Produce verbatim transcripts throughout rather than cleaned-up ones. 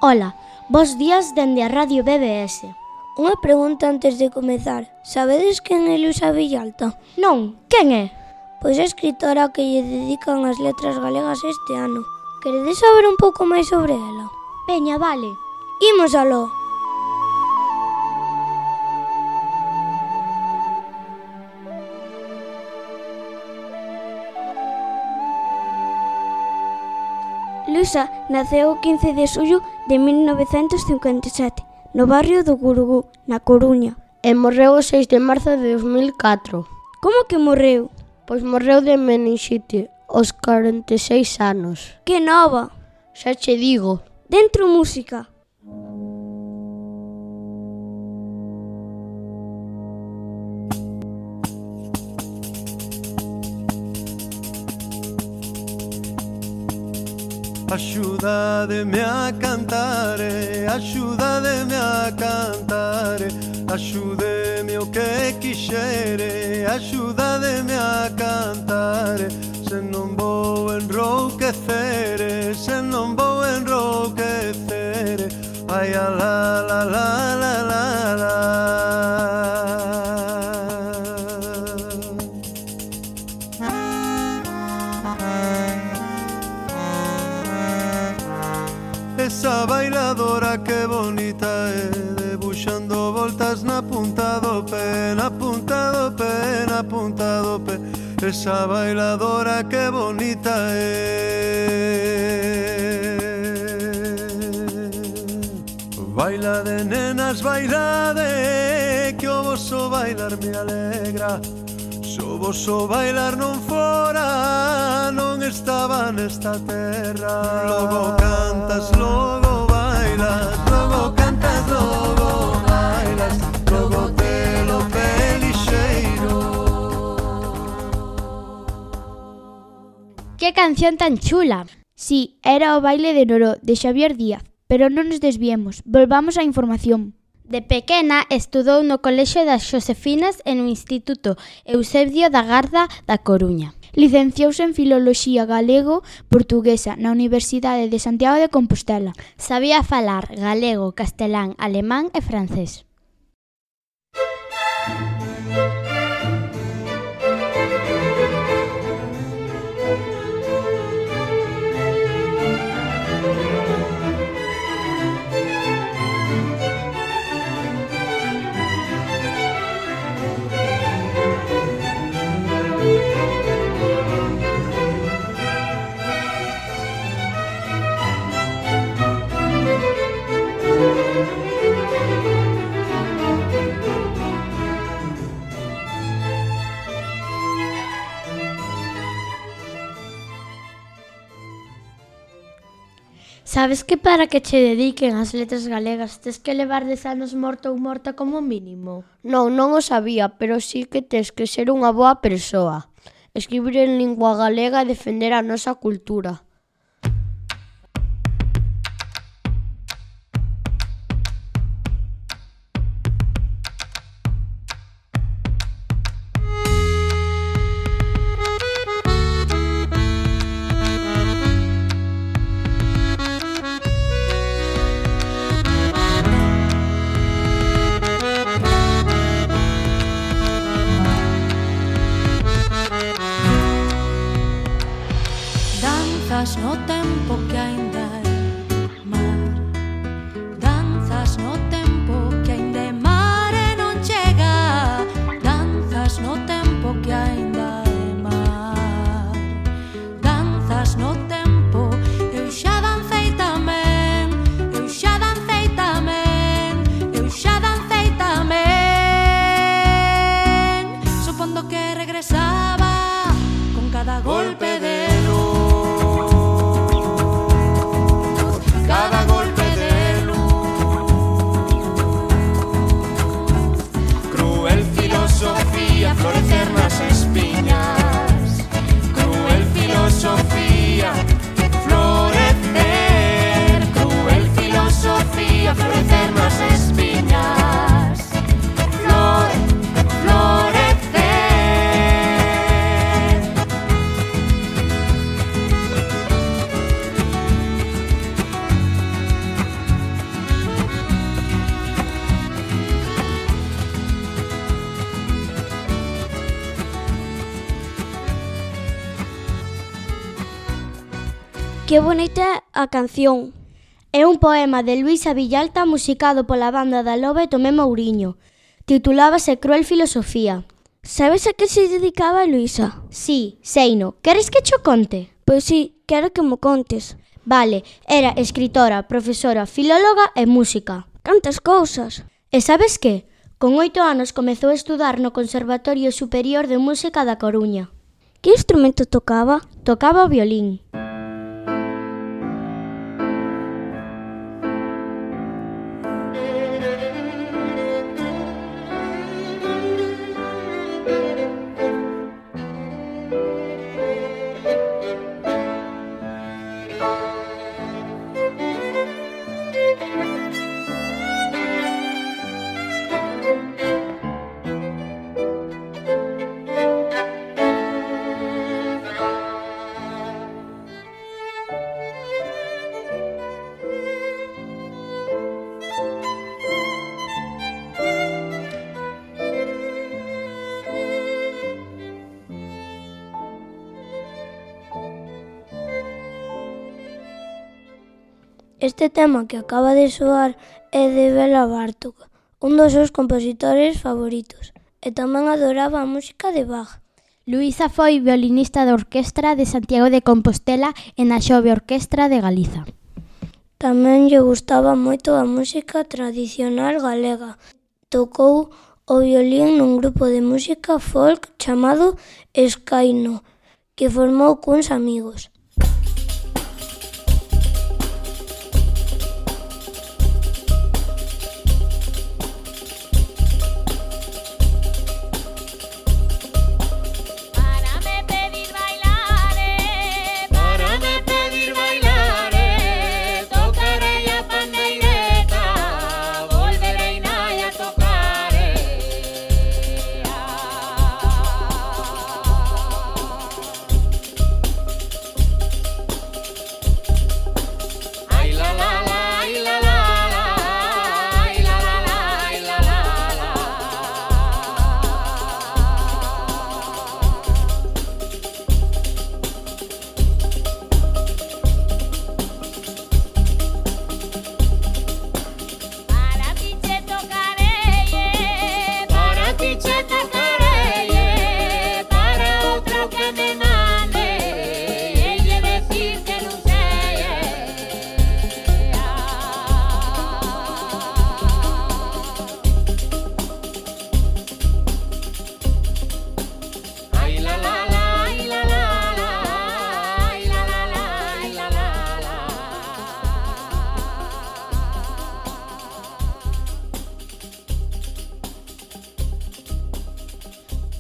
Ola, bos días dende a Radio B B S. Unha pregunta antes de comezar. Sabedes quen é Luisa Villalta? Non, quen é? Pois é escritora que lle dedican as letras galegas este ano. Queredes saber un pouco máis sobre ela? Veña, vale. Imos aló. Luisa naceu o quince de xullo de mil novecentos cincuenta e sete, no barrio do Gurugú, na Coruña. E morreu o seis de marzo de dos mil catro. Como que morreu? Pois morreu de meningite, aos corenta e seis anos. Que nova! Xa che digo. Dentro música. Axúdademe a cantare, axúdademe a cantare, axúdeme o que quixere, axúdademe a cantare, se non vou enrouquecere, se non vou enrouquecere, ai a la la la la la la. Esa bailadora que bonita é, debuxando voltas na punta do pé, na punta do pé, na punta do pé. Esa bailadora que bonita é. Baila de nenas, baila de, que o voso bailar me alegra. So voso bailar non fora, non estaba nesta terra. Logo cantas, logo bailas, logo cantas, logo bailas, logo telo pelixeiro. Que canción tan chula! Si, era o baile de Noró, de Xavier Díaz, pero non nos desviemos, volvamos á información. De pequena estudou no Colexio das Xosefinas e no Instituto Eusebio da Garda da Coruña. Licenciouse en Filoloxía Galego-Portuguesa na Universidade de Santiago de Compostela. Sabía falar galego, castelán, alemán e francés. Sabes que para que che dediquen as letras galegas tes que levar dez anos morto ou morta como mínimo? Non, non o sabía, pero sí que tes que ser unha boa persoa. Escribir en lingua galega e defender a nosa cultura. Danzas no tempo que aínda é mar, danzas no tempo que aínda é mar e non chega, danzas no tempo que aínda é mar, danzas no tempo, eu xa dancei tamén, eu xa dancei tamén, eu xa dancei tamén, supondo que regresaba con cada golpe de luz. Cada golpe de luz, cruel filosofía, florecer nas espiñas, cruel filosofía, florecer, cruel filosofía, florecer nas espiñas, flore, florecer. Que bonita a canción. É un poema de Luisa Villalta musicado pola banda da Loba e Tomé Mouriño. Titulábase Cruel Filosofía. Sabes a que se dedicaba Luisa? Sí, seino. Queres que cho conte? Pois sí, quero que mo contes. Vale, era escritora, profesora, filóloga e música. Cantas cousas. E sabes que? Con oito anos comezou a estudar no Conservatorio Superior de Música da Coruña. Que instrumento tocaba? Tocaba o violín. Este tema que acaba de soar é de Bela Bartók, un dos seus compositores favoritos, e tamén adoraba a música de Bach. Luisa foi violinista da Orquestra de Santiago de Compostela e na Xove Orquestra de Galiza. Tamén lle gustaba moito a música tradicional galega. Tocou o violín nun grupo de música folk chamado Escaino, que formou cuns amigos.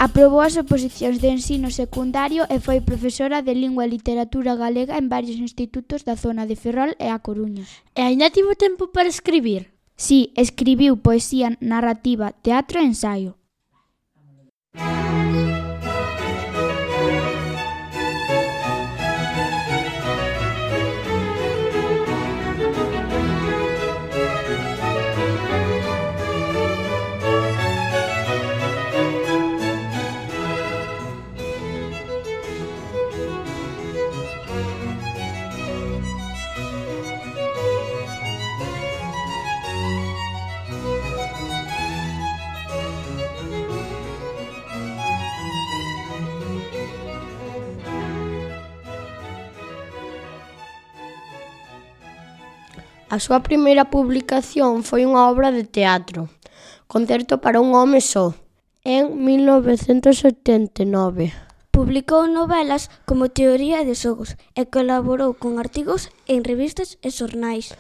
Aprobou as oposicións de ensino secundario e foi profesora de Lingua e Literatura Galega en varios institutos da zona de Ferrol e A Coruña. E aínda tivo tempo para escribir? Sí, escribiu poesía, narrativa, teatro e ensaio. A súa primeira publicación foi unha obra de teatro, Concerto para un home só, en mil novecentos setenta e nove. Publicou novelas como Teoría de xogos e colaborou con artigos en revistas e xornais.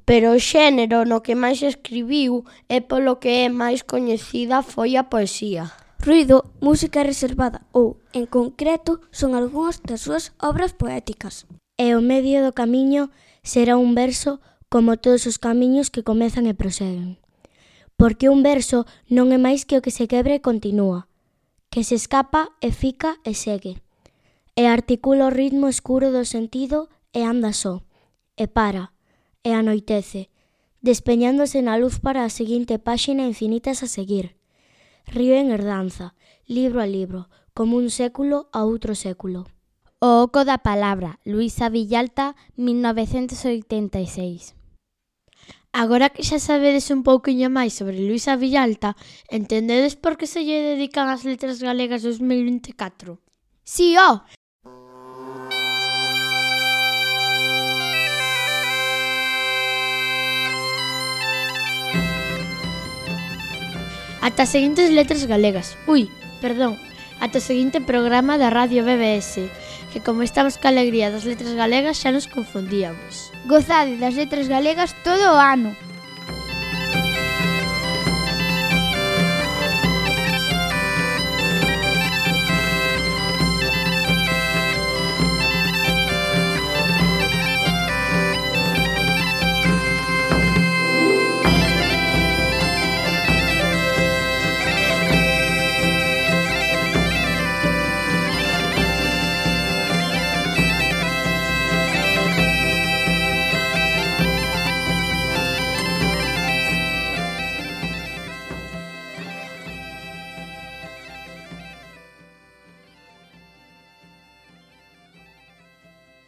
Pero o xénero no que máis escribiu e polo que é máis coñecida foi a poesía. Ruido, música reservada ou, en concreto, son algunhas das súas obras poéticas. E o medio do camiño será un verso como todos os camiños que comezan e proseguen. Porque un verso non é máis que o que se quebre e continúa, que se escapa e fica e segue, e articula o ritmo escuro do sentido e anda só, e para, e anoitece, despeñándose na luz para a seguinte páxina infinitas a seguir. Río en herdanza, libro a libro, como un século a outro século. O oco da palabra, Luisa Villalta, mil novecentos oitenta e seis. Agora que xa sabedes un pouquiño máis sobre Luisa Villalta, entendedes por que se lle dedican as letras galegas dos mil vinte e catro? Sí, ó! Ata as seguintes letras galegas. Ui, perdón, ata o seguinte programa da Radio B B S, que como estamos ca alegría das letras galegas xa nos confundíamos. Gozade das letras galegas todo o ano.